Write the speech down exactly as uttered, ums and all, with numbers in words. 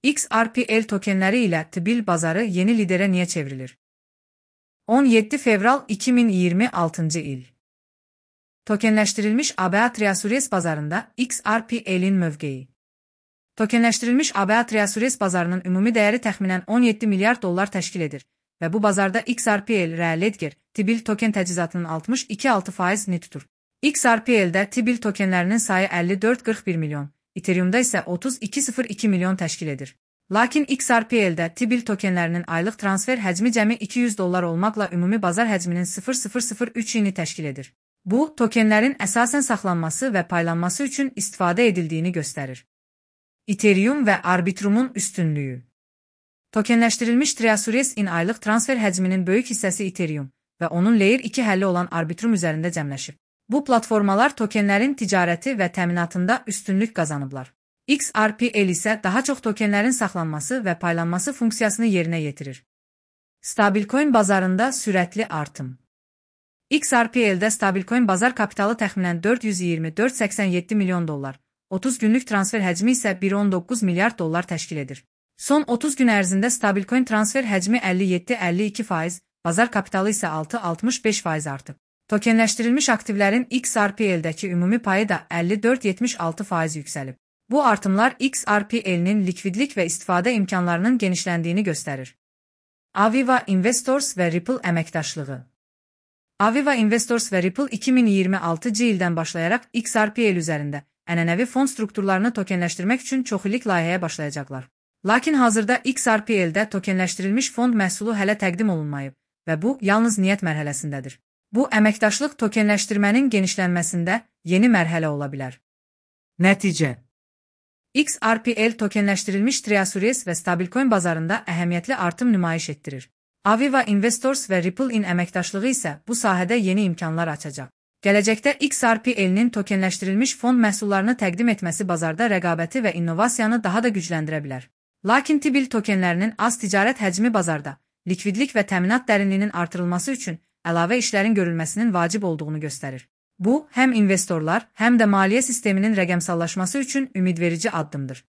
X R P L tokenləri ilə T B I L bazarı yeni liderə niyə çevrilir? on yeddi fevral iki min iyirmi altıncı il. Tokenləşdirilmiş A B A Triasures bazarında X R P L'in mövqeyi. Tokenləşdirilmiş A B A Triasures bazarının ümumi dəyəri təxminən on yeddi milyard dollar təşkil edir və bu bazarda X R P L R Ledger T B I L token təchizatının altmış iki nöqtə altı faizini tutur. X R P L'də T B I L tokenlərinin sayı əlli dörd nöqtə qırx bir milyon, Ethereum'da isə otuz iki nöqtə sıfır iki milyon təşkil edir. Lakin X R P L'də T B I L tokenlərinin aylıq transfer həcmi cəmi iki yüz dollar olmaqla ümumi bazar həcminin sıfır nöqtə sıfır sıfır üçini təşkil edir. Bu, tokenlərin əsasən saxlanması və paylanması üçün istifadə edildiyini göstərir. Ethereum və Arbitrum'un üstünlüyü. Tokenləşdirilmiş Triasures-in aylıq transfer həcminin böyük hissəsi Ethereum və onun Layer iki həlli olan Arbitrum üzərində cəmləşib. Bu platformalar tokenlərin ticarəti və təminatında üstünlük qazanıblar. X R P L isə daha çox tokenlərin saxlanması və paylanması funksiyasını yerinə yetirir. Stablecoin bazarında sürətli artım. X R P L'də stablecoin bazar kapitalı təxminən dörd yüz iyirmi dörd nöqtə səksən yeddi milyon dollar, otuz günlük transfer həcmi isə bir nöqtə on doqquz milyard dollar təşkil edir. Son otuz gün ərzində stablecoin transfer həcmi əlli yeddi nöqtə əlli iki faiz, bazar kapitalı isə altı nöqtə altmış beş faiz artıb. Tokenləşdirilmiş aktivlərin X R P L'dəki ümumi payı da əlli dörd nöqtə yetmiş altı faiz yüksəlib. Bu artımlar X R P L'nin likvidlik və istifadə imkanlarının genişləndiyini göstərir. Aviva Investors və Ripple əməkdaşlığı. Aviva Investors və Ripple iki min iyirmi altıncı ildən başlayaraq X R P L üzərində ənənəvi fon strukturlarını tokenləşdirmək üçün çoxillik layihəyə başlayacaqlar. Lakin hazırda X R P L'də tokenləşdirilmiş fond məhsulu hələ təqdim olunmayıb və bu yalnız niyyət mərhələsindədir. Bu, əməkdaşlıq tokenləşdirmənin genişlənməsində yeni mərhələ ola bilər. Nəticə. X R P L tokenləşdirilmiş Triasures və stablecoin bazarında əhəmiyyətli artım nümayiş etdirir. Aviva Investors və Ripple-in əməkdaşlığı isə bu sahədə yeni imkanlar açacaq. Gələcəkdə X R P L'nin tokenləşdirilmiş fond məhsullarını təqdim etməsi bazarda rəqabəti və innovasiyanı daha da gücləndirə bilər. Lakin T B I L tokenlərinin az ticarət həcmi bazarda, likvidlik və təminat dərinliyinin artırılması üçün əlavə işlərin görülməsinin vacib olduğunu göstərir. Bu, həm investorlar, həm də maliyyə sisteminin rəqəmsallaşması üçün ümidverici addımdır.